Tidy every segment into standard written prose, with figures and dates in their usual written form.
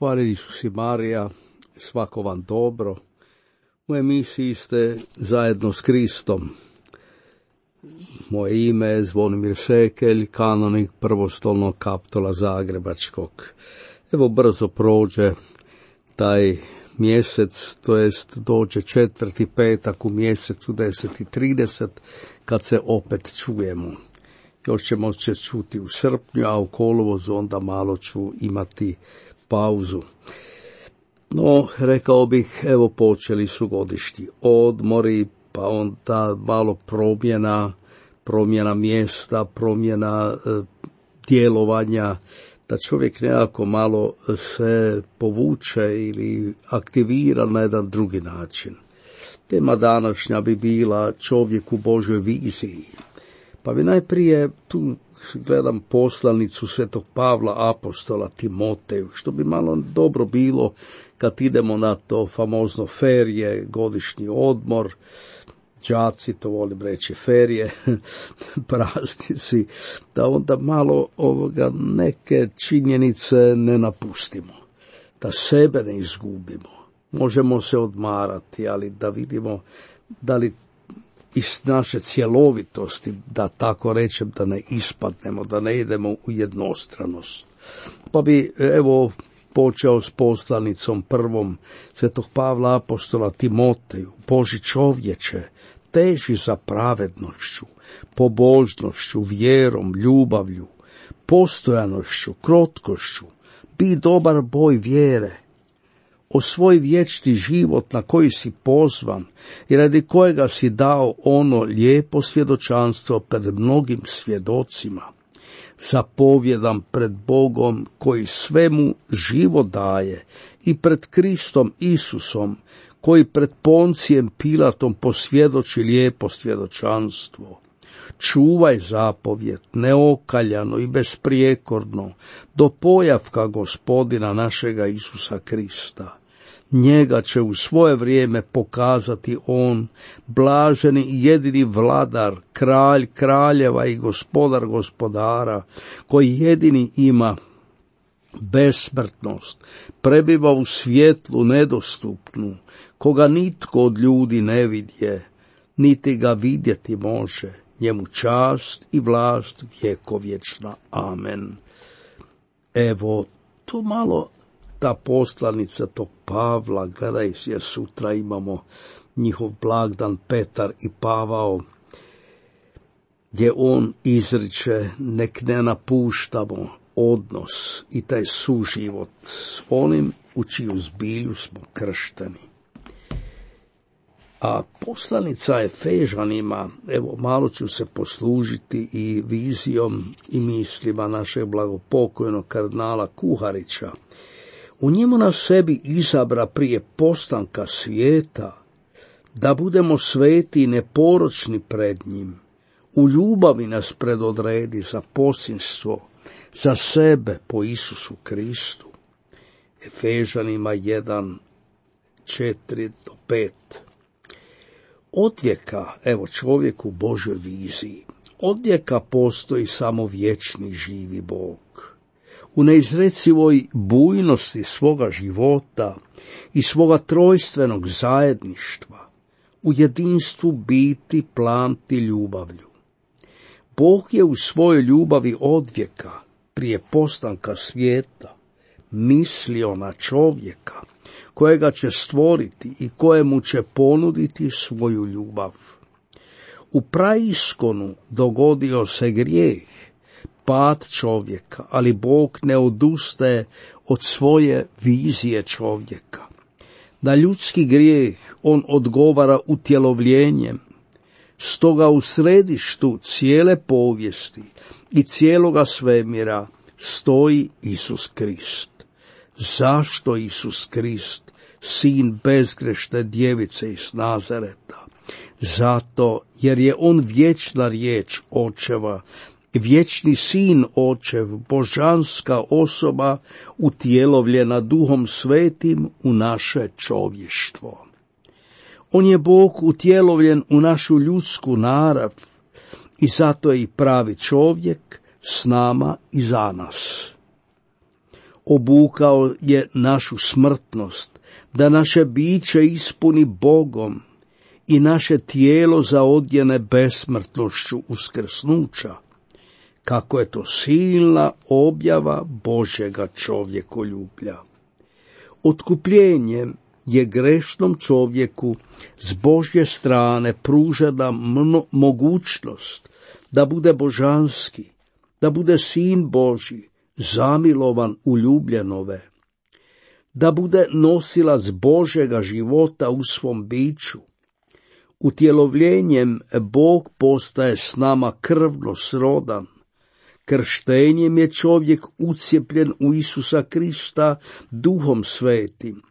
Hvaljen Isus i Marija, svako vam dobro. U emisiji ste zajedno s Kristom. Moje ime je Zvonimir Šekelj, kanonik prvostolnog kaptola Zagrebačkog. Evo brzo prođe taj mjesec, to jest dođe 4. petak u mjesecu 10:30 kad se opet čujemo. Još ćemo se čuti u srpnju, a u kolovozu onda malo ću imati pauzu. No, rekao bih, evo počeli su godišnji odmori, pa onda malo promjena mjesta, promjena djelovanja, da čovjek nekako malo se povuče ili aktivira na jedan drugi način. Tema današnja bi bila čovjek u Božoj viziji. Pa bi najprije tu gledam poslanicu Svetog Pavla apostola Timoteju, što bi malo dobro bilo kad idemo na to famozno ferije, godišnji odmor, đaci, to volim reći ferije, praznici, da onda malo neke činjenice ne napustimo, da sebe ne izgubimo. Možemo se odmarati, ali da vidimo da li iz naše cjelovitosti, da tako rečem, da ne ispadnemo, da ne idemo u jednostranost. Pa bi evo počeo s poslanicom prvom Svetog Pavla apostola Timoteju. Boži čovječe, teži za pravednošću, pobožnošću, vjerom, ljubavlju, postojanošću, krotkošću, bi dobar boj vjere, osvoj vječni život na koji si pozvan i radi kojega si dao ono lijepo svjedočanstvo pred mnogim svjedocima. Zapovjedam pred Bogom koji svemu život daje i pred Kristom Isusom koji pred Poncijem Pilatom posvjedoči lijepo svjedočanstvo. Čuvaj zapovjed neokaljano i besprijekorno do pojavka Gospodina našega Isusa Krista. Njega će u svoje vrijeme pokazati on, blaženi i jedini vladar, kralj kraljeva i gospodar gospodara, koji jedini ima besmrtnost, prebiva u svjetlu nedostupnu, koga nitko od ljudi ne vidje, niti ga vidjeti može. Njemu čast i vlast vjekovječna. Amen. Evo, tu malo ta poslanica tog Pavla, gledaj, jer sutra imamo njihov blagdan Petar i Pavao, gdje on izriče nek ne napuštamo odnos i taj suživot s onim u čiju zbilju smo kršteni. A poslanica Efežanima, evo malo ću se poslužiti i vizijom i mislima našeg blagopokojnog kardinala Kuharića. U njemu nas sebi izabra prije postanka svijeta, da budemo sveti i neporočni pred njim. U ljubavi nas predodredi za posinstvo, za sebe po Isusu Kristu. Efežanima 1, 4-5. Odvijeka, evo čovjek u Božoj viziji, odvijeka postoji samo vječni živi Bog. U neizrecivoj bujnosti svoga života i svoga trojstvenog zajedništva, u jedinstvu biti, plamti ljubavlju. Bog je u svojoj ljubavi odvijeka, prije postanka svijeta, mislio na čovjeka, kojega će stvoriti i kojemu će ponuditi svoju ljubav. U praiskonu dogodio se grijeh, pad čovjeka, ali Bog ne odustaje od svoje vizije čovjeka. Na ljudski grijeh on odgovara utjelovljenjem, stoga u središtu cijele povijesti i cijeloga svemira stoji Isus Krist. Zašto Isus Krist, sin bezgrešne djevice iz Nazareta? Zato jer je on vječna riječ Očeva, vječni sin Očev, božanska osoba utjelovljena Duhom Svetim u naše čovještvo. On je Bog utjelovljen u našu ljudsku narav i zato je i pravi čovjek s nama i za nas. Obukao je našu smrtnost, da naše biće ispuni Bogom i naše tijelo zaodjene besmrtnošću uskrsnuća. Kako je to silna objava Božjega čovjekoljublja. Otkupljenjem je grešnom čovjeku s Božje strane pružena mogućnost da bude božanski, da bude sin Božji, zamilovan u ljubljenove, da bude nosilac Božjega života u svom biću. Utjelovljenjem Bog postaje s nama krvno srodan. Krštenjem je čovjek ucijepljen u Isusa Krista Duhom Svetim.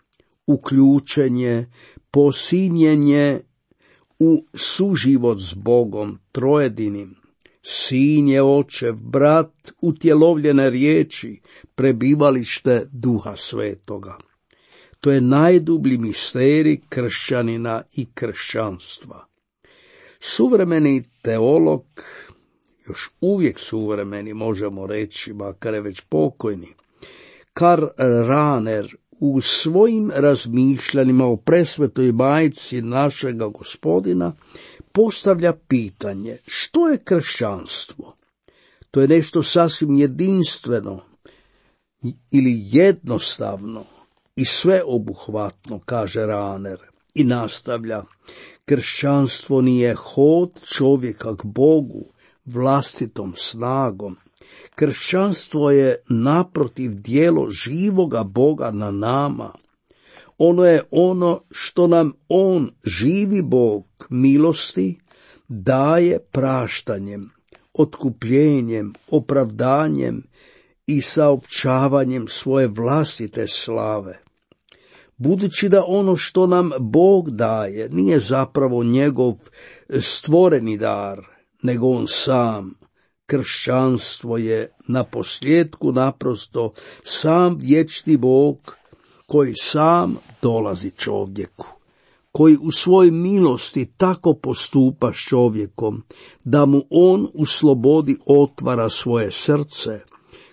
Uključen je, posinjen je u suživot s Bogom trojedinim. Sin je očev, brat utjelovljene riječi, prebivalište Duha Svetoga. To je najdublji misterij kršćanina i kršćanstva. Suvremeni teolog, još uvijek suvremeni možemo reći, makar je već pokojni, Karl Rahner u svojim razmišljanjima o presvetoj majci našega Gospodina postavlja pitanje: što je kršćanstvo? To je nešto sasvim jedinstveno ili jednostavno i sveobuhvatno, kaže Rahner, i nastavlja: kršćanstvo nije hod čovjeka k Bogu vlastitom snagom. Kršćanstvo je naprotiv djelo živoga Boga na nama. Ono je ono što nam On, živi Bog milosti, daje praštanjem, otkupljenjem, opravdanjem i saopćavanjem svoje vlastite slave. Budući da ono što nam Bog daje nije zapravo njegov stvoreni dar, nego On sam, kršćanstvo je naposljetku naprosto sam vječni Bog koji sam dolazi čovjeku, koji u svojoj milosti tako postupa s čovjekom da mu On u slobodi otvara svoje srce,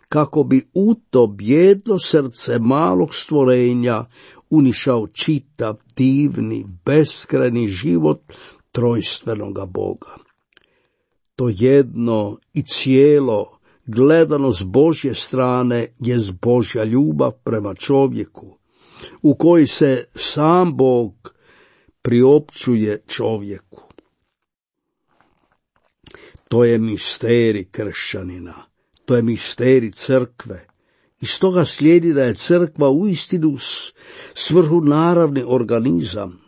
kako bi u to bijedno srce malog stvorenja unišao čitav, divni, beskrajni život trojstvenoga Boga. To jedno i cijelo, gledano s Božje strane, je Božja ljubav prema čovjeku, u koji se sam Bog priopćuje čovjeku. To je misterij kršćanina, to je misterij crkve. Iz toga slijedi da je crkva uistinu svrhunaravni organizam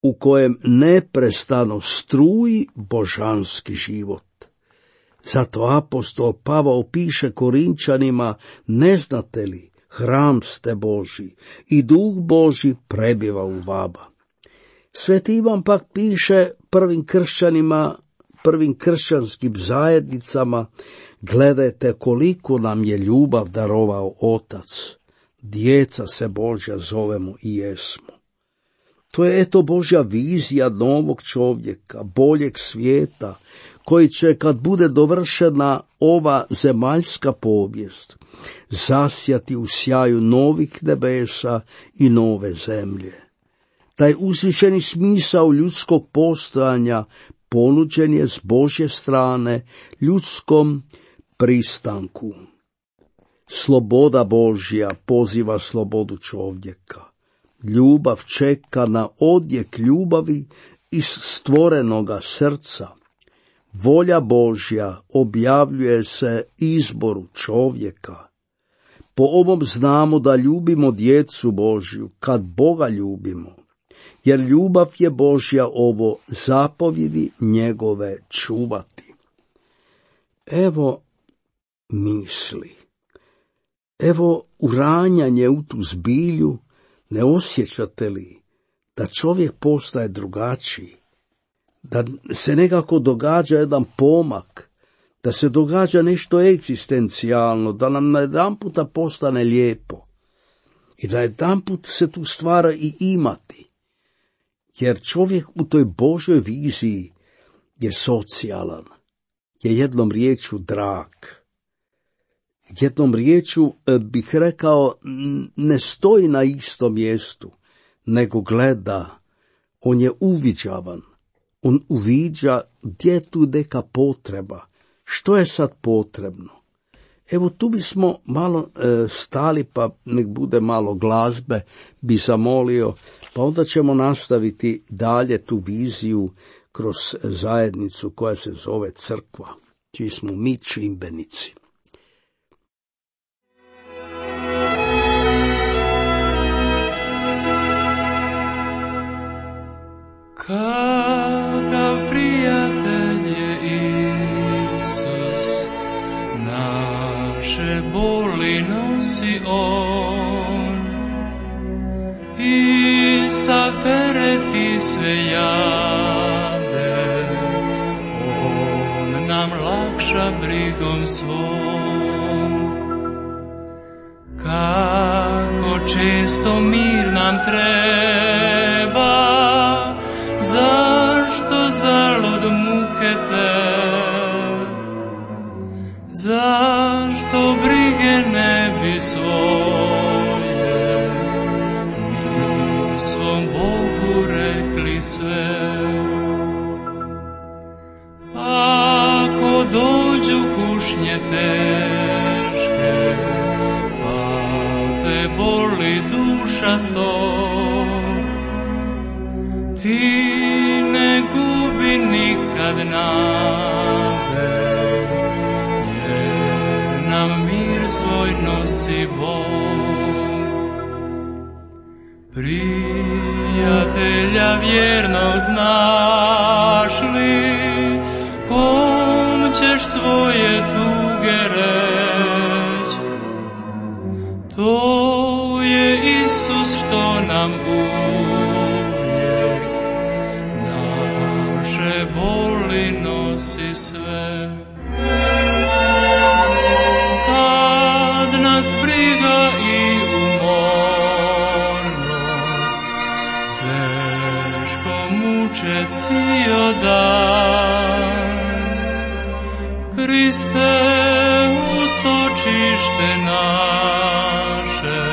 u kojem neprestano struji božanski život. Zato apostol Pavao piše Korinčanima: ne znate li, hram ste Božji i Duh Božji prebiva u vama. Sveti Ivan pak piše prvim kršćanima, prvim kršćanskim zajednicama: gledajte koliko nam je ljubav darovao Otac, djeca se Božja zovemo i jesmo. To je eto Božja vizija novog čovjeka, boljeg svijeta, koji će, kad bude dovršena ova zemaljska povijest, zasjati u sjaju novih nebesa i nove zemlje. Taj uzvišeni smisao ljudskog postojanja ponuđen je s Božje strane ljudskom pristanku. Sloboda Božja poziva slobodu čovjeka. Ljubav čeka na odjek ljubavi iz stvorenoga srca. Volja Božja objavljuje se izboru čovjeka. Po ovom znamo da ljubimo djecu Božju kad Boga ljubimo, jer ljubav je Božja ovo zapovjedi njegove čuvati. Evo misli, evo uranjanje u tu zbilju. Ne osjećate li da čovjek postaje drugačiji, da se nekako događa jedan pomak, da se događa nešto egzistencijalno, da nam najedanputa postane lijepo i da jedanput se tu stvara i imati, jer čovjek u toj Božoj viziji je socijalan, je jednom riječju drag. Jednom riječu bih rekao, ne stoji na istom mjestu, nego gleda. On je uviđavan. On uviđa gdje je tu neka potreba. Što je sad potrebno? Evo tu bismo malo stali, pa nek bude malo glazbe, bi zamolio, pa onda ćemo nastaviti dalje tu viziju kroz zajednicu koja se zove crkva, čiji smo mi čimbenici. Kakav prijatelj je Isus, naše boli nosi on, i sav teret i sve jade, on nam lakša brigom svom. Kako često mir nam treba, zašto zalud muke te? Zašto brige ne bi svoje mi svom Bogu rekli sve? Ako dođu kušnje teške, pa te boli duša sto, ti ne gubi nikad nade, jer nam mir svoj nosi Bog. Prijatelja vjernog znaš li, kom ćeš svoje tuge reć? To je Isus što nam boli nosi sve. Kad nas briga i umornost teško muče cijel dan, Kriste, utočište naše,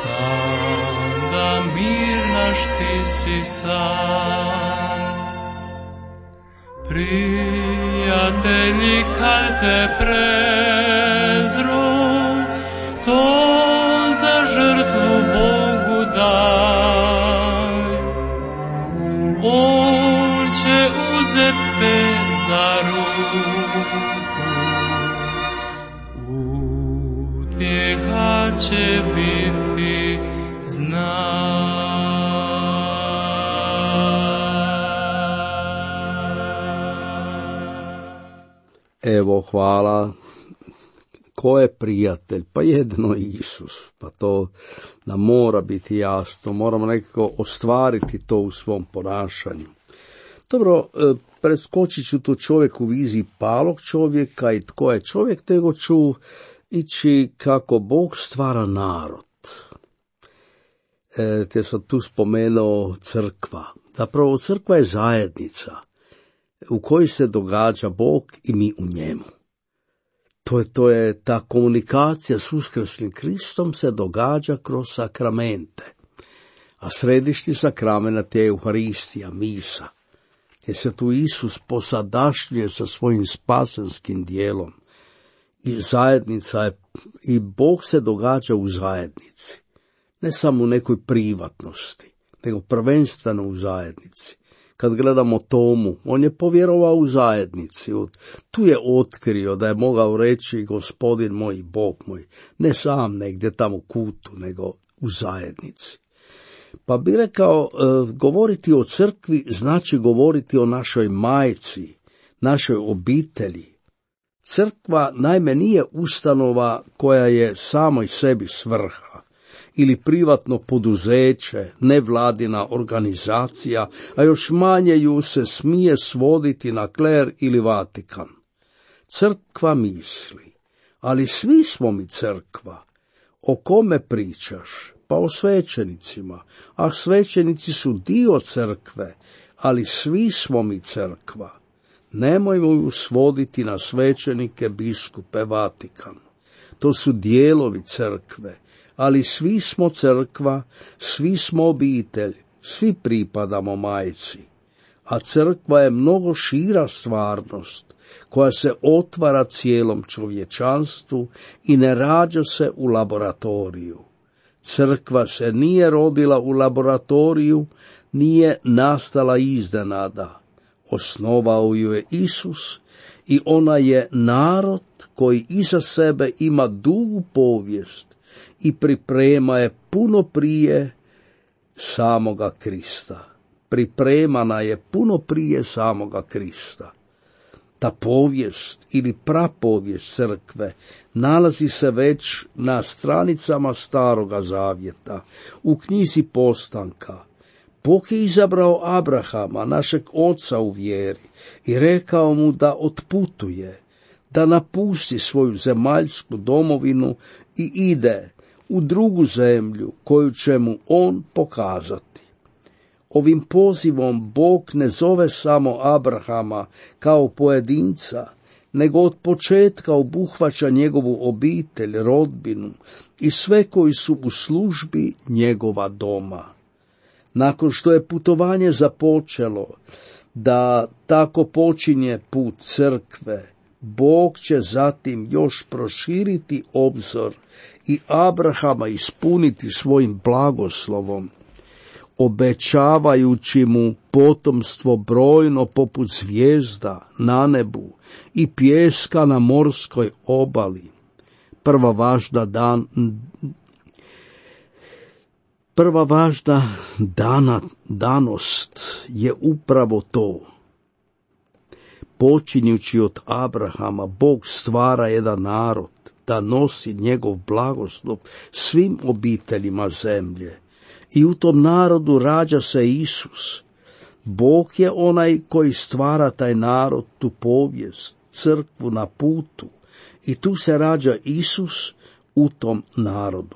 tam da mir naš ti si sam. Prijatelji, kad te prezru, to za žrtvu Bogu daj. On će uzet te za ruku, utjeha će biti znaj. Evo, hvala. Ko je prijatelj? Pa jedino Isus. Pa to nam mora biti jasno. Moramo nekako ostvariti to u svom ponašanju. Dobro, preskočit ću tu čovjek u viziji palog čovjeka i tko je čovjek, nego ću ići kako Bog stvara narod. Te sam tu spomenuo crkva. Zapravo crkva je zajednica u kojoj se događa Bog i mi u njemu. To je ta komunikacija s uskrslim Kristom se događa kroz sakramente. A središnji sakrament je Euharistija, misa, gdje se tu Isus posadašnjuje sa svojim spasenskim dijelom. I zajednica je, i Bog se događa u zajednici. Ne samo u nekoj privatnosti, nego prvenstveno u zajednici. Kad gledamo Tomu, on je povjerovao u zajednici. Tu je otkrio da je mogao reći Gospodin moj i Bog moj, ne sam negdje tamo u kutu, nego u zajednici. Pa bi rekao, govoriti o crkvi znači govoriti o našoj majci, našoj obitelji. Crkva naime nije ustanova koja je samoj sebi svrha, ili privatno poduzeće, nevladina organizacija, a još manje ju se smije svoditi na kler ili Vatikan. Crkva misli, ali svi smo mi crkva. O kome pričaš? Pa o svećenicima, a svećenici su dio crkve, ali svi smo mi crkva. Nemojmo ju svoditi na svećenike, biskupe, Vatikan. To su dijelovi crkve, ali svi smo crkva, svi smo obitelj, svi pripadamo majci. A crkva je mnogo šira stvarnost, koja se otvara cijelom čovječanstvu i ne rađa se u laboratoriju. Crkva se nije rodila u laboratoriju, nije nastala iznenada. Osnovao ju je Isus i ona je narod koji iza sebe ima dugu povijest i priprema je puno prije samoga Krista. Pripremana je puno prije samoga Krista. Ta povijest ili prapovijest crkve nalazi se već na stranicama Staroga Zavjeta, u knjizi Postanka. Bog je izabrao Abrahama, našeg oca u vjeri, i rekao mu da otputuje, da napusti svoju zemaljsku domovinu i ide u drugu zemlju koju će mu on pokazati. Ovim pozivom Bog ne zove samo Abrahama kao pojedinca, nego od početka obuhvaća njegovu obitelj, rodbinu i sve koji su u službi njegova doma. Nakon što je putovanje započelo, da tako počinje put crkve, Bog će zatim još proširiti obzor i Abrahama ispuniti svojim blagoslovom, obećavajući mu potomstvo brojno poput zvijezda na nebu i pijeska na morskoj obali. Prva važna danost je upravo to. Počinjući od Abrahama, Bog stvara jedan narod da nosi njegov blagoslov svim obiteljima zemlje. I u tom narodu rađa se Isus. Bog je onaj koji stvara taj narod, tu povijest, crkvu na putu. I tu se rađa Isus u tom narodu.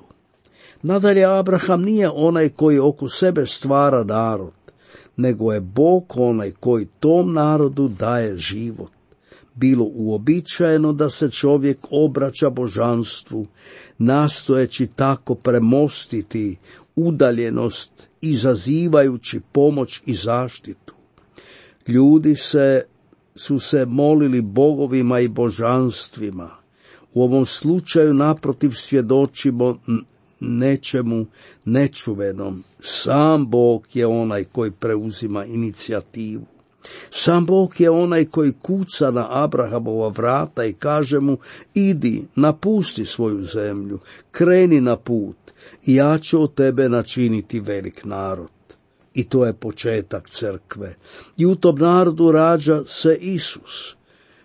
Nadalje, Abraham nije onaj koji oko sebe stvara narod, nego je Bog onaj koji tom narodu daje život. Bilo uobičajeno da se čovjek obraća božanstvu, nastojeći tako premostiti udaljenost, izazivajući pomoć i zaštitu. Ljudi su se molili bogovima i božanstvima. U ovom slučaju naprotiv svjedočimo nečemu nečuvenom. Sam Bog je onaj koji preuzima inicijativu. Sam Bog je onaj koji kuca na Abrahamova vrata i kaže mu: idi, napusti svoju zemlju, kreni na put i ja ću od tebe načiniti velik narod. I to je početak crkve. I u tom narodu rađa se Isus.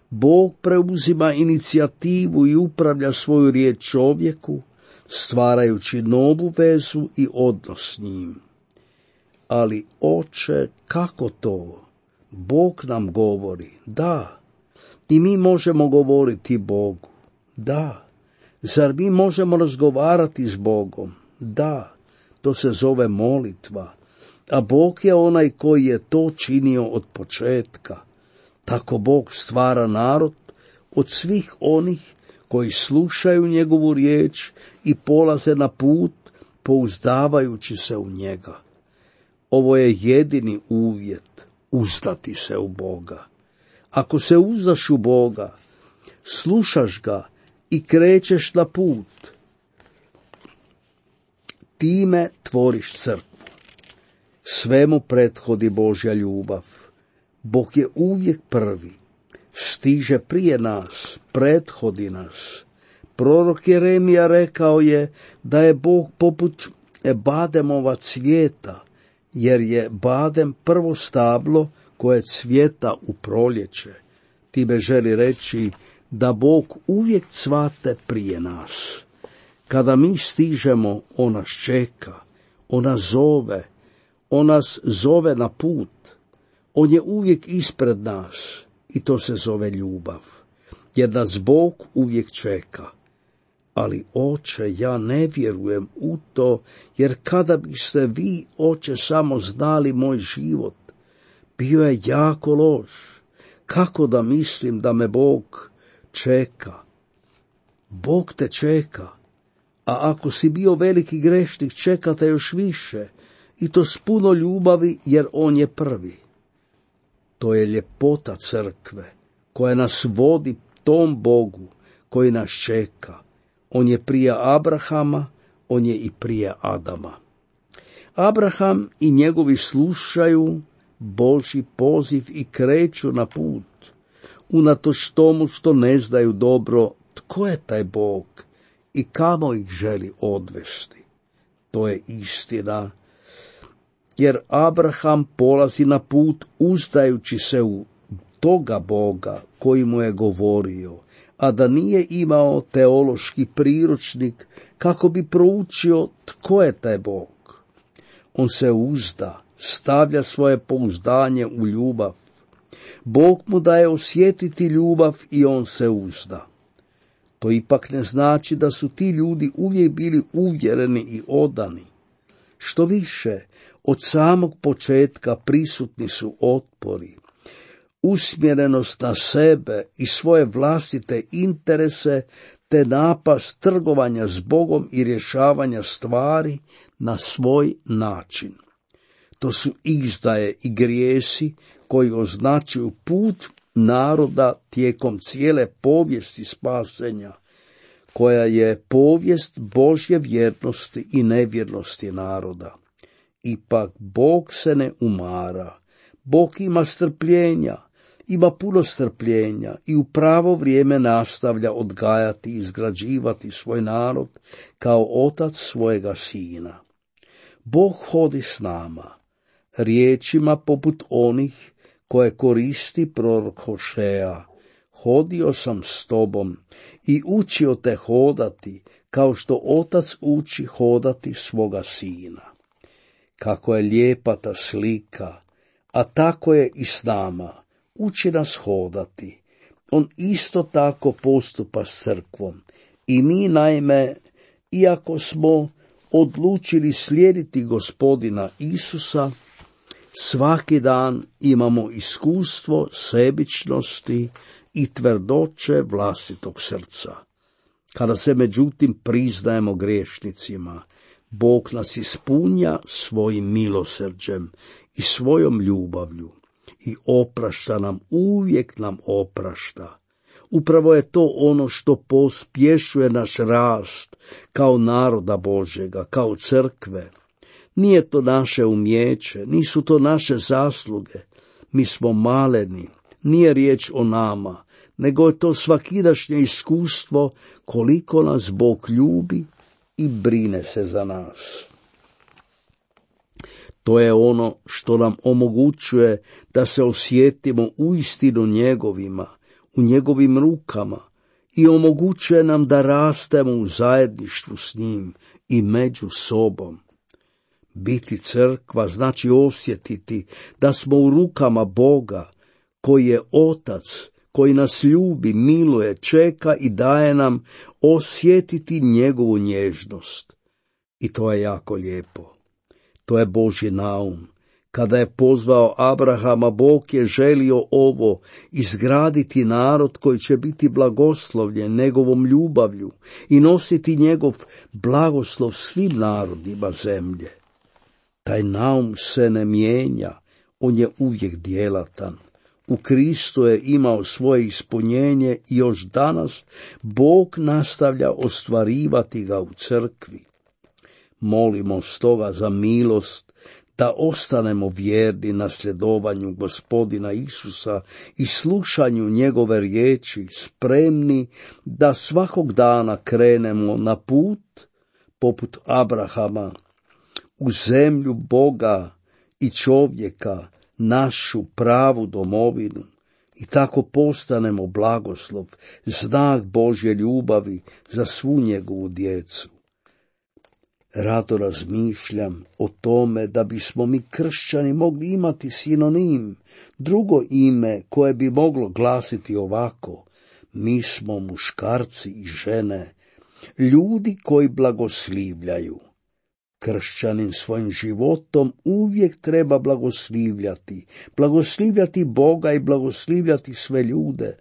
Bog preuzima inicijativu i upravlja svoju riječ čovjeku, stvarajući novu vezu i odnos s njim. Ali, Oče, kako to? Bog nam govori, da. I mi možemo govoriti Bogu, da. Zar mi možemo razgovarati s Bogom? Da. To se zove molitva. A Bog je onaj koji je to činio od početka. Tako Bog stvara narod od svih onih koji slušaju njegovu riječ i polaze na put pouzdavajući se u njega. Ovo je jedini uvjet, uzdati se u Boga. Ako se uzdaš u Boga, slušaš ga i krećeš na put, time tvoriš crkvu. Svemu prethodi Božja ljubav. Bog je uvijek prvi, stiže prije nas, prethodi nas. Prorok Jeremija rekao je da je Bog poput bademova cvijeta, jer je badem prvo stablo koje cvijeta u proljeće. Time želi reći da Bog uvijek cvate prije nas. Kada mi stižemo, on nas čeka, on nas zove na put. On je uvijek ispred nas i to se zove ljubav, jer nas Bog uvijek čeka. Ali, Oče, ja ne vjerujem u to, jer kada biste vi, Oče, samo znali moj život, bio je jako loš. Kako da mislim da me Bog čeka? Bog te čeka, a ako si bio veliki grešnik, čeka te još više, i to s puno ljubavi, jer on je prvi. To je ljepota crkve, koja nas vodi tom Bogu koji nas čeka. On je prije Abrahama, on je i prije Adama. Abraham i njegovi slušaju Božji poziv i kreću na put, unatoč tomu što ne znaju dobro tko je taj Bog i kamo ih želi odvesti. To je istina, jer Abraham polazi na put uzdajući se u toga Boga koji mu je govorio, a da nije imao teološki priručnik kako bi proučio tko je taj Bog. On se uzda, stavlja svoje pouzdanje u ljubav. Bog mu daje osjetiti ljubav i on se uzda. To ipak ne znači da su ti ljudi uvijek bili uvjereni i odani. Što više, od samog početka prisutni su otpori, usmjerenost na sebe i svoje vlastite interese, te napast trgovanja s Bogom i rješavanja stvari na svoj način. To su izdaje i grijesi koji označuju put naroda tijekom cijele povijesti spasenja, koja je povijest Božje vjernosti i nevjernosti naroda. Ipak Bog se ne umara, Bog ima strpljenja, ima puno strpljenja i u pravo vrijeme nastavlja odgajati i izgrađivati svoj narod kao otac svojega sina. Bog hodi s nama, riječima poput onih koje koristi prorok Hošea. Hodio sam s tobom i učio te hodati, kao što otac uči hodati svoga sina. Kako je lijepa ta slika, a tako je i s nama. Uči nas hodati. On isto tako postupa s crkvom. I mi, naime, iako smo odlučili slijediti Gospodina Isusa, svaki dan imamo iskustvo sebičnosti i tvrdoće vlastitog srca. Kada se međutim priznajemo griješnicima, Bog nas ispunja svojim milosrđem i svojom ljubavlju i oprašta nam, uvijek nam oprašta. Upravo je to ono što pospješuje naš rast kao naroda Božjega, kao crkve. Nije to naše umijeće, nisu to naše zasluge. Mi smo maleni, nije riječ o nama, nego je to svakidašnje iskustvo koliko nas Bog ljubi i brine se za nas. To je ono što nam omogućuje da se osjetimo uistinu njegovima, u njegovim rukama, i omogućuje nam da rastemo u zajedništvu s njim i među sobom. Biti crkva znači osjetiti da smo u rukama Boga, koji je Otac, koji nas ljubi, miluje, čeka i daje nam osjetiti njegovu nježnost. I to je jako lijepo. To je Božji naum. Kada je pozvao Abrahama, Bog je želio ovo, izgraditi narod koji će biti blagoslovljen njegovom ljubavlju i nositi njegov blagoslov svim narodima zemlje. Taj naum se ne mijenja, on je uvijek djelatan. U Kristu je imao svoje ispunjenje i još danas Bog nastavlja ostvarivati ga u crkvi. Molimo stoga za milost da ostanemo vjerni nasljedovanju Gospodina Isusa i slušanju njegove riječi, spremni da svakog dana krenemo na put, poput Abrahama, u zemlju Boga i čovjeka, našu pravu domovinu, i tako postanemo blagoslov, znak Božje ljubavi za svu njegovu djecu. Rado razmišljam o tome da bismo mi kršćani mogli imati sinonim, drugo ime koje bi moglo glasiti ovako: mi smo muškarci i žene, ljudi koji blagoslivljaju. Kršćanin svojim životom uvijek treba blagoslivljati Boga i blagoslivljati sve ljude.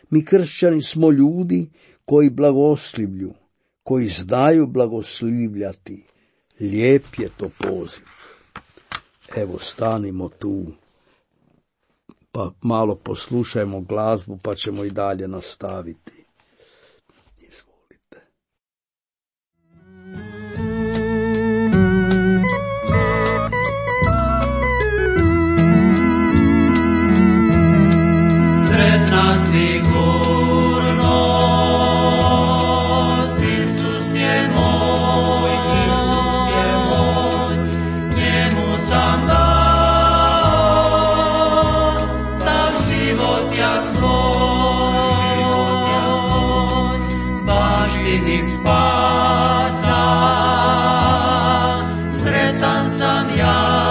Mi kršćani smo ljudi koji blagoslivlju, koji znaju blagoslivljati. Lijep je to poziv. Evo, stanimo tu, pa malo poslušajmo glazbu, pa ćemo i dalje nastaviti. Izvolite. Sretna sigurnost, Isus je moj, njemu sam dao sav život ja svoj, baštini spasa, sretan sam ja,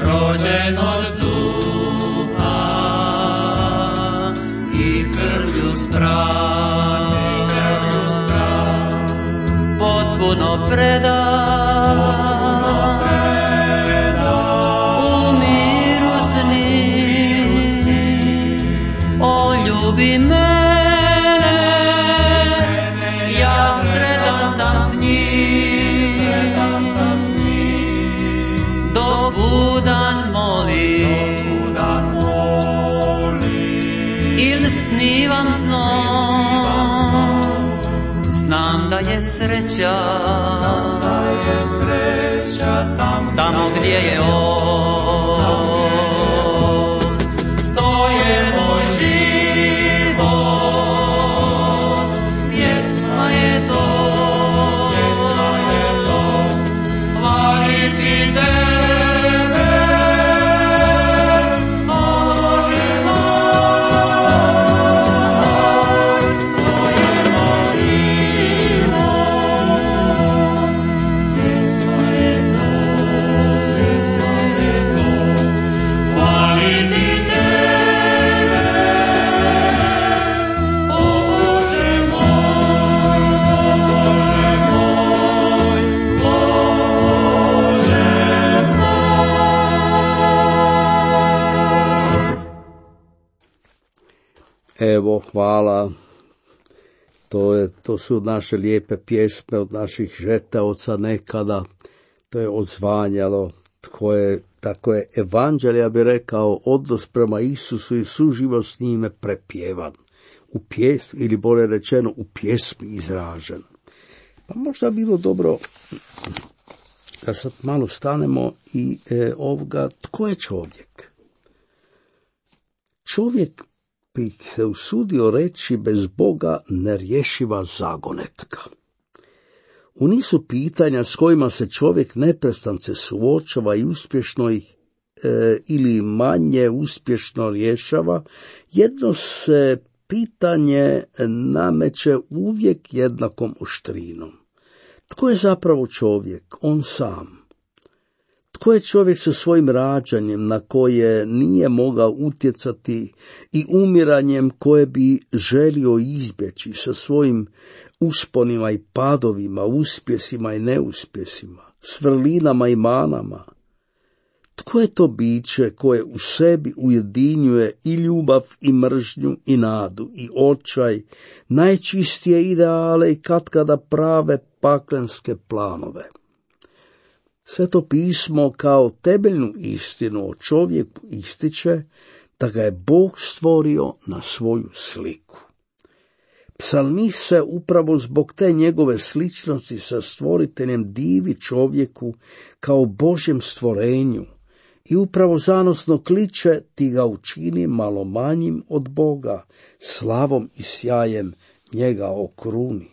rođen od potpuno predan, u miru s njim, on ljubi mene, ja sretan sam s njim, dok budan molim, ili snivam snom, znam da je sreća tamo gdje je on. To je moj život, pjesma je to, hvaliti tebe, Bože moj, to je moj život, pjesma je to, hvaliti tebe, Bože moj, Bože moj. Evo, hvala. To su naše lijepe pjesme od naših žetaoca nekada. To je odzvanjalo. Tako je evanđelje, ja bih rekao, odnos prema Isusu i suživot s njime prepjevan. U pjesmi, ili bolje rečeno, u pjesmi izražen. Pa možda bilo dobro da sad malo stanemo i ovoga, tko je čovjek? Čovjek bih se usudio reći bez Boga nerješiva zagonetka. U nizu pitanja s kojima se čovjek neprestance suočava i uspješno ih ili manje uspješno rješava, jedno se pitanje nameće uvijek jednakom oštrinom. Tko je zapravo čovjek? On sam. Tko je čovjek sa svojim rađanjem na koje nije mogao utjecati i umiranjem koje bi želio izbjeći, sa svojim usponima i padovima, uspjesima i neuspjesima, s vrlinama i manama? Tko je to biće koje u sebi ujedinjuje i ljubav i mržnju i nadu i očaj, najčistije ideale i katkada prave paklenske planove? Sveto pismo kao temeljnu istinu o čovjeku ističe da ga je Bog stvorio na svoju sliku. Psalmist se upravo zbog te njegove sličnosti sa stvoriteljem divi čovjeku kao Božjem stvorenju i upravo zanosno kliče: ti ga učini malo manjim od Boga, slavom i sjajem njega okruni.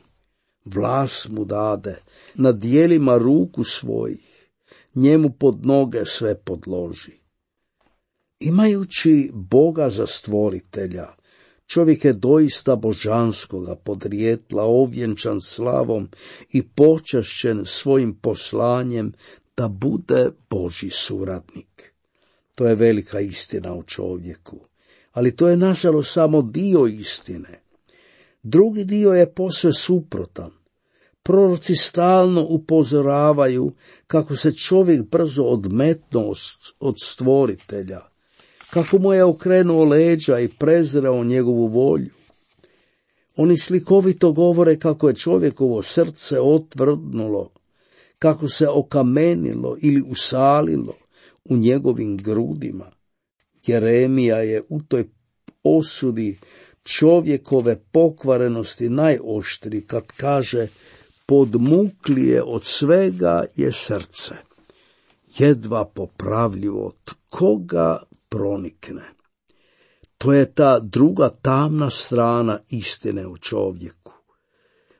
Vlast mu dade, na dijelima ruku svojih, njemu pod noge sve podloži. Imajući Boga za stvoritelja, čovjek je doista božanskoga podrijetla, ovjenčan slavom i počašćen svojim poslanjem da bude Božji suradnik. To je velika istina o čovjeku, ali to je nažalost samo dio istine. Drugi dio je posve suprotan. Proroci stalno upozoravaju kako se čovjek brzo odmetnuo od stvoritelja, kako mu je okrenuo leđa i prezirao njegovu volju. Oni slikovito govore kako je čovjekovo srce otvrdnulo, kako se okamenilo ili usalilo u njegovim grudima. Jeremija je u toj osudi čovjekove pokvarenosti najoštriji kad kaže: podmuklije od svega je srce, jedva popravljivo, tko ga pronikne. To je ta druga tamna strana istine o čovjeku.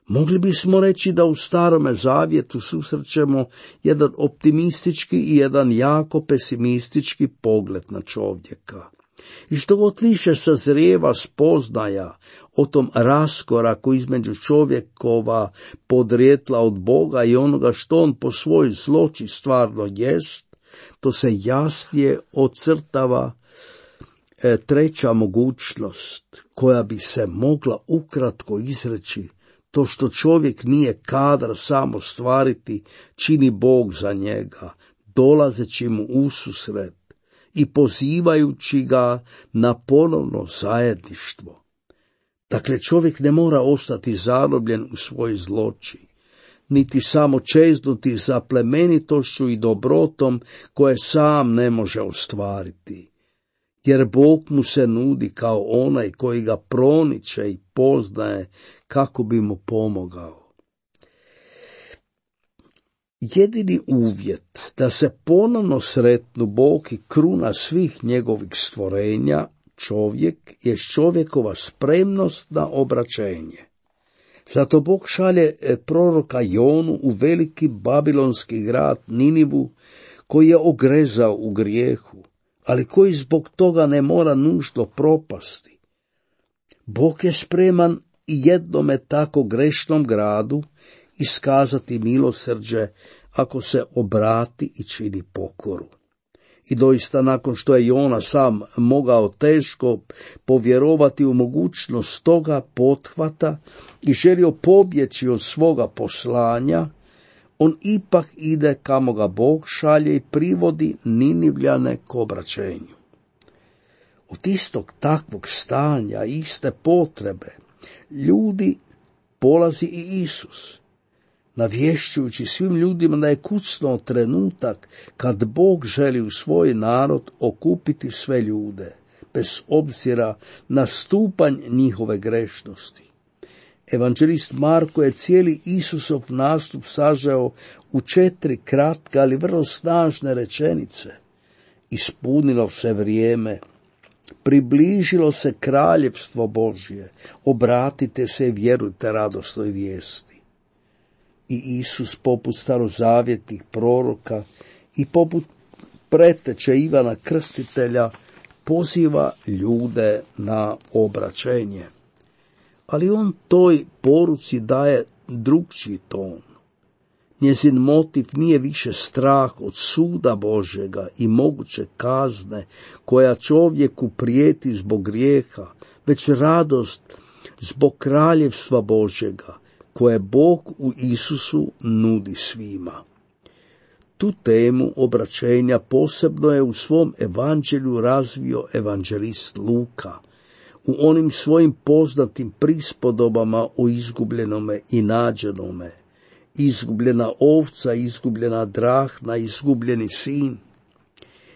Mogli bismo reći da u Starome zavjetu susrećemo jedan optimistički i jedan jako pesimistički pogled na čovjeka. I što god više sazrijeva spoznaja o tom raskoraku između čovjekova podrijetla od Boga i onoga što on po svojoj zloći stvarno jest, to se jasnije ocrtava treća mogućnost koja bi se mogla ukratko izreći: to što čovjek nije kadar sam ostvariti, čini Bog za njega, dolazeći mu ususret i pozivajući ga na ponovno zajedništvo. Dakle, čovjek ne mora ostati zarobljen u svoj zloči, niti samo čeznuti za plemenitošću i dobrotom koje sam ne može ostvariti, jer Bog mu se nudi kao onaj koji ga proniče i poznaje kako bi mu pomogao. Jedini uvjet da se ponovno sretnu Bog i kruna svih njegovih stvorenja, čovjek, je čovjekova spremnost na obraćenje. Zato Bog šalje proroka Jonu u veliki babilonski grad Ninivu, koji je ogrezao u grijehu, ali koji zbog toga ne mora nužno propasti. Bog je spreman i jednome tako grešnom gradu iskazati milosrđe ako se obrati i čini pokoru. I doista, nakon što je Jona sam mogao teško povjerovati u mogućnost toga pothvata i želio pobjeći od svoga poslanja, on ipak ide kamo ga Bog šalje i privodi Ninivljane k obraćenju. Od istog takvog stanja, iste potrebe, ljudi polazi i Isus, navješćujući svim ljudima da je kucnuo trenutak kad Bog želi u svoj narod okupiti sve ljude, bez obzira na stupanj njihove grešnosti. Evanđelist Marko je cijeli Isusov nastup sažeo u 4 kratke, ali vrlo snažne rečenice. Ispunilo se vrijeme, približilo se kraljevstvo Božje, obratite se i vjerujte radosnoj vijesti. I Isus, poput starozavjetnih proroka i poput preteče Ivana Krstitelja, poziva ljude na obraćenje. Ali on toj poruci daje drugčiji ton. Njezin motiv nije više strah od suda Božjega i moguće kazne koja čovjeku prijeti zbog grijeha, već radost zbog kraljevstva Božjega, koje Bog u Isusu nudi svima. Tu temu obraćenja posebno je u svom evanđelju razvio evanđelist Luka, u onim svojim poznatim prispodobama o izgubljenome i nađenome: izgubljena ovca, izgubljena drahma, izgubljeni sin.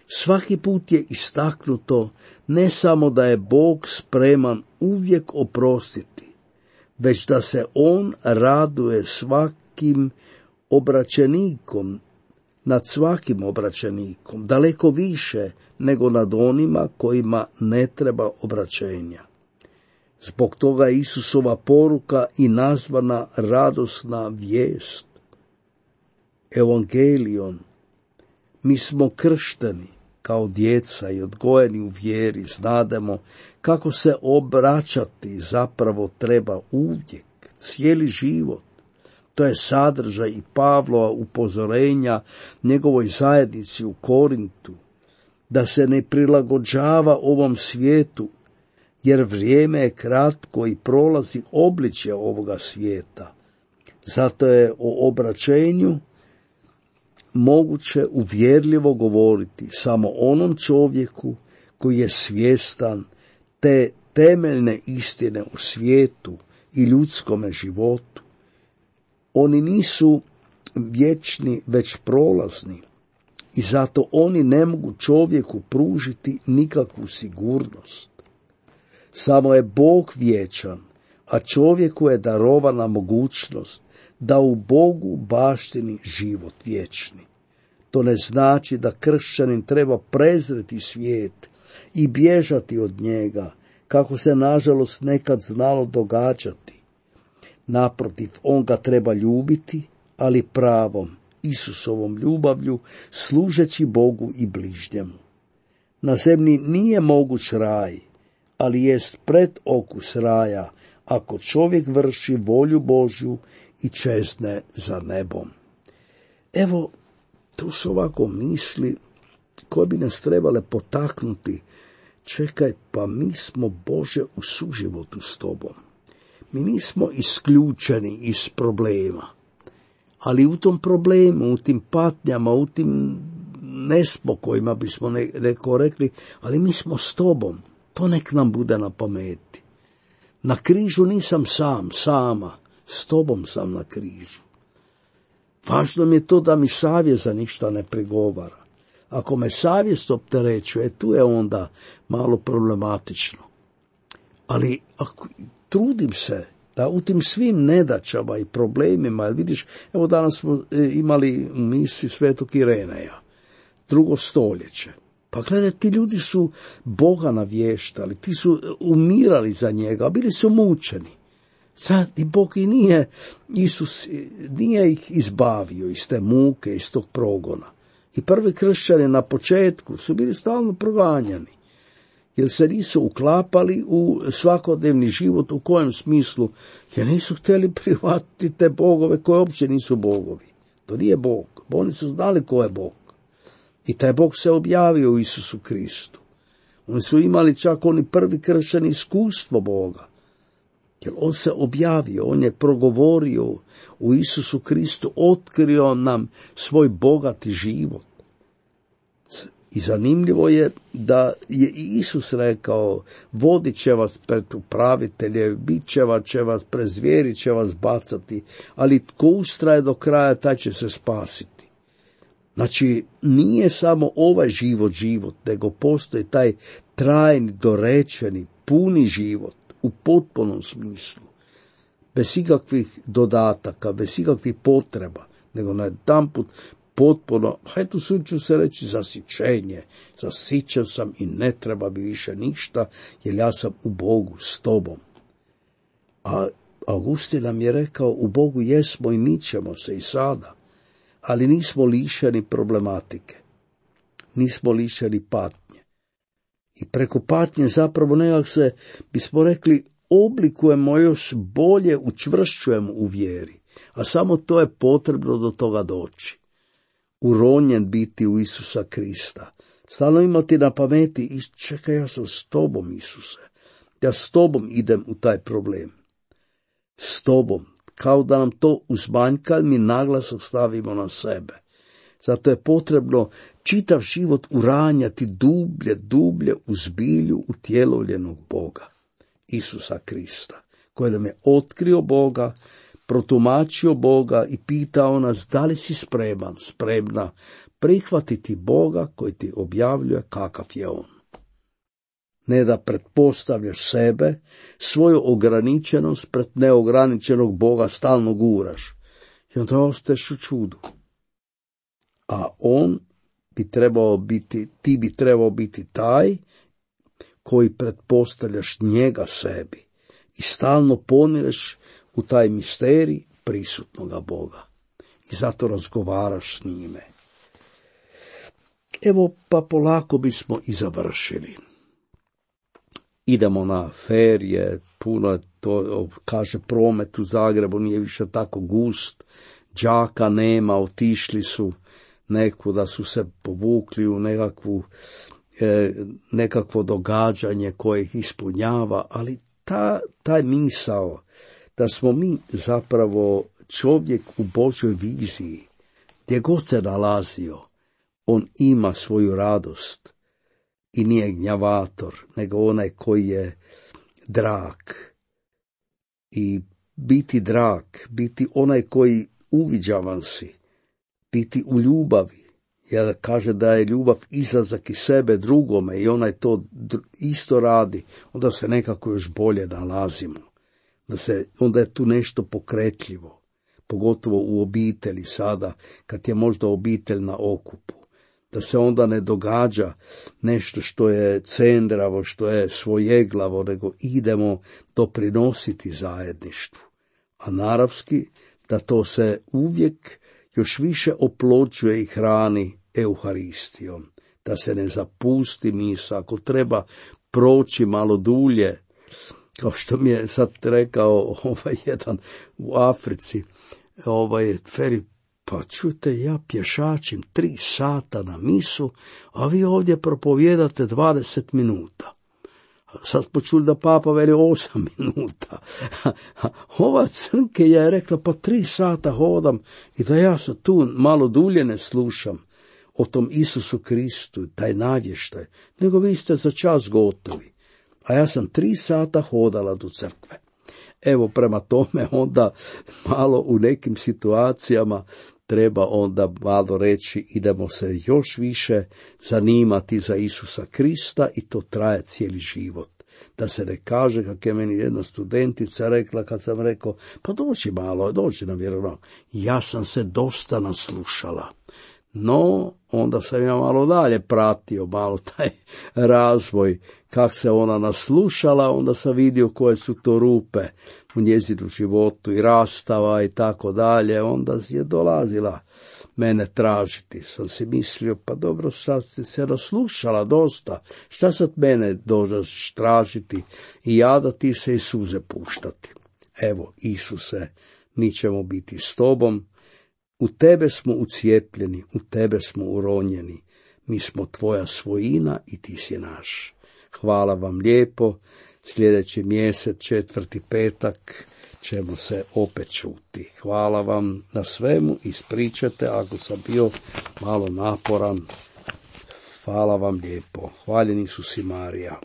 Svaki put je istaknuto ne samo da je Bog spreman uvijek oprostiti, već da se on raduje svakim obraćenikom, nad svakim obraćenikom, daleko više nego nad onima kojima ne treba obraćenja. Zbog toga je Isusova poruka i nazvana radosna vijest. Evangelion. Mi smo kršteni kao djeca i odgojeni u vjeri, znademo kako se obraćati zapravo treba uvijek, cijeli život. To je sadržaj i Pavlova upozorenja njegovoj zajednici u Korintu, da se ne prilagođava ovom svijetu, jer vrijeme je kratko i prolazi obličje ovoga svijeta. Zato je o obraćenju moguće uvjerljivo govoriti samo onom čovjeku koji je svjestan te temeljne istine u svijetu i ljudskome životu. Oni nisu vječni, već prolazni i zato oni ne mogu čovjeku pružiti nikakvu sigurnost. Samo je Bog vječan, a čovjeku je darovana mogućnost da u Bogu baštini život vječni. To ne znači da kršćanin treba prezreti svijet i bježati od njega, kako se nažalost nekad znalo događati. Naprotiv, on ga treba ljubiti, ali pravom, Isusovom ljubavlju, služeći Bogu i bližnjemu. Na zemlji nije moguć raj, ali jest predokus raja, ako čovjek vrši volju Božju i čezne za nebom. Evo, tu su ovako misli koje bi nas trebale potaknuti. Čekaj, pa mi smo, Bože, u suživotu s tobom. Mi nismo isključeni iz problema, ali u tom problemu, u tim patnjama, u tim nespokojima bismo neko rekli, ali mi smo s tobom. To nek nam bude na pameti. Na križu nisam sama, s tobom sam na križu. Važno mi je to da mi savjest za ništa ne prigovara. Ako me savjest opterećuje, tu je onda malo problematično. Ali ako trudim se da u tim svim nedaćama i problemima, jer vidiš, evo danas smo imali u misiji Svetog Ireneja, 2. stoljeće. Pa gledaj, ti ljudi su Boga navještali, ti su umirali za njega, bili su mučeni. Sad i Bog i Isus nije ih izbavio iz te muke, iz tog progona. I prvi kršćani na početku su bili stalno proganjani, jer se nisu uklapali u svakodnevni život, u kojem smislu, jer nisu htjeli prihvatiti te bogove koje uopće nisu bogovi. To nije Bog, oni su znali ko je Bog. I taj Bog se objavio u Isusu Kristu. Oni su imali čak oni prvi kršćani iskustvo Boga. Jer on se objavio, on je progovorio u Isusu Kristu, otkrio nam svoj bogati život. I zanimljivo je da je i Isus rekao, vodit će vas pred upravitelje, bit će vas pred zvijeri, će vas bacati, ali tko ustraje do kraja, taj će se spasiti. Znači, nije samo ovaj život, nego postoji taj trajni, dorečeni, puni život u potpunom smislu, bez ikakvih dodataka, bez ikakvih potreba, nego na jedanput potpuno, eto ću se reći, zasićenje. Zasićen sam i ne treba mi više ništa, jer ja sam u Bogu s tobom. A Augustin nam je rekao, u Bogu jesmo i mi ćemo se i sada, ali nismo lišeni problematike, nismo lišeni patnje. I preko patnje zapravo nekak se, bismo rekli, oblikujemo još bolje, učvršćujemo u vjeri, a samo to je potrebno do toga doći. Uronjen biti u Isusa Krista. Stalno imati na pameti, čekaj, ja sam s tobom, Isuse. Ja s tobom idem u taj problem. S tobom. Kao da nam to uzmanjka, mi naglasak stavimo na sebe. Zato je potrebno čitav život uranjati dublje u zbilju utjelovljenog Boga, Isusa Krista, koji nam je otkrio Boga, protumačio Boga i pitao nas da li si spremna prihvatiti Boga koji ti objavljuje kakav je on. Ne da pretpostavljaš sebe, svoju ograničenost pred neograničenog Boga stalno guraš. I onda ostaješ u čudu. A on bi trebao biti, ti bi trebao biti taj koji pretpostavljaš njega sebi i stalno ponireš u taj misterij prisutnoga Boga. I zato razgovaraš s njime. Evo, pa polako bismo i završili. Idemo na ferije, puno to, kaže, promet u Zagrebu nije više tako gust, đaka nema, otišli su nekuda, su se povukli u nekakvo događanje koje ih ispunjava, ali taj misao da smo mi zapravo čovjek u Božoj viziji, gdje god se nalazio, on ima svoju radost i nije gnjavator, nego onaj koji je drag. I biti drag, biti onaj koji uviđavan si, biti u ljubavi, jer kaže da je ljubav izlazak iz sebe drugome i onaj to isto radi, onda se nekako još bolje nalazimo. Onda je tu nešto pokretljivo, pogotovo u obitelji sada, kad je možda obitelj na okupu. Da se onda ne događa nešto što je cendravo, što je svojeglavo, nego idemo doprinositi zajedništvu. A naravski da to se uvijek još više oplođuje i hrani Euharistijom, da se ne zapusti misa, ako treba proći malo dulje, kao što mi je sad rekao jedan u Africi, Feri, pa čujte, ja pješačim 3 sata na misu, a vi ovdje propovijedate 20 minuta. Sad smo čuli da papa veli 8 minuta. Ova crnke je rekla, pa 3 sata hodam i da ja se tu malo dulje ne slušam o tom Isusu Kristu, taj navještaj, nego vi ste za čas gotovi. A ja sam 3 sata hodala do crkve. Evo, prema tome onda malo u nekim situacijama treba onda malo reći, idemo se još više zanimati za Isusa Krista i to traje cijeli život. Da se ne kaže, kako je meni jedna studentica rekla kad sam rekao, pa dođi na vjeronauk. Ja sam se dosta naslušala. No, onda sam ja malo dalje pratio, malo taj razvoj, kak se ona naslušala, onda sam vidio koje su to rupe u njezinu životu i rastava i tako dalje, onda je dolazila mene tražiti. Sam si mislio, pa dobro, sad si se naslušala dosta, šta sad mene dođeš tražiti i jadati se i suze puštati. Evo, Isuse, mi ćemo biti s tobom, u tebe smo ucijepljeni, u tebe smo uronjeni, mi smo tvoja svojina i ti si naš. Hvala vam lijepo, sljedeći mjesec, 4. petak, ćemo se opet čuti. Hvala vam na svemu, ispričajte ako sam bio malo naporan. Hvala vam lijepo. Hvaljen Isus i Marija.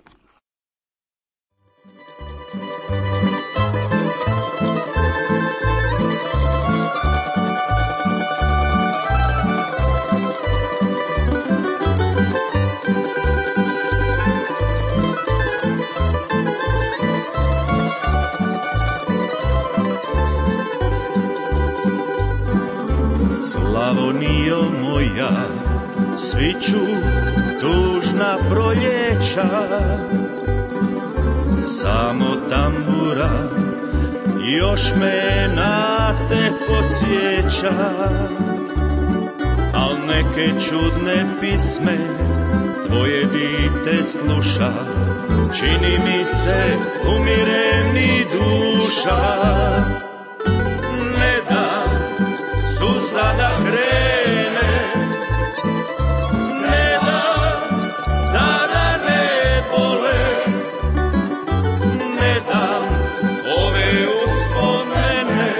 Slavonijo moja, sviću tužna proljeća, samo tambura još me na te podsjeća, al neke čudne pisme tvoje dite sluša, čini mi se umire mi duša. Ne dam suza da krene, ne dam da ne bole, ne dam ove uspomene,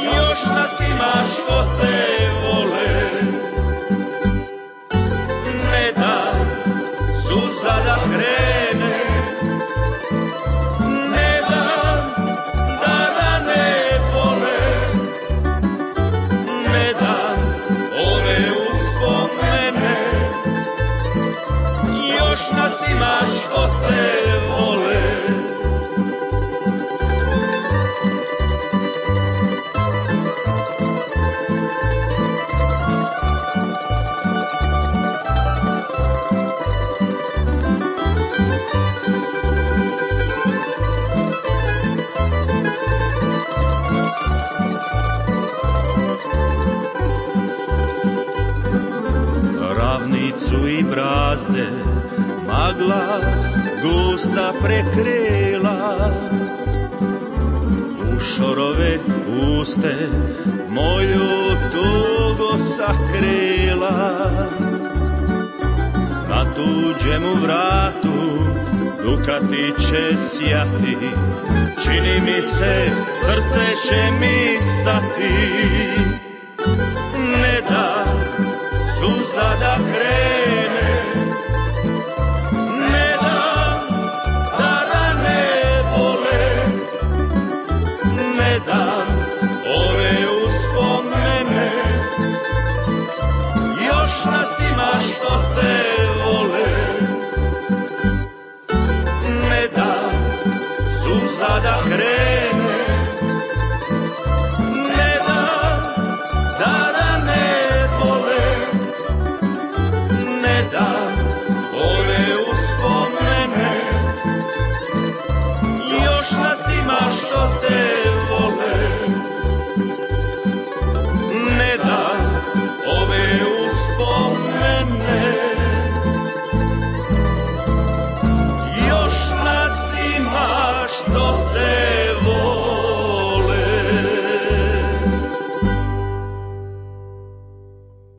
još nas ima što te vole. Ne dam suza da krene, ne dam da ne bole, ne dam ove uspomene, još nas ima što te vole. Ravnicu i brazde magla gusta prekrila, u šorove puste moju tugo sakrila. Na tuđemu vratu dukati će sjati, čini mi se srce će mi stati.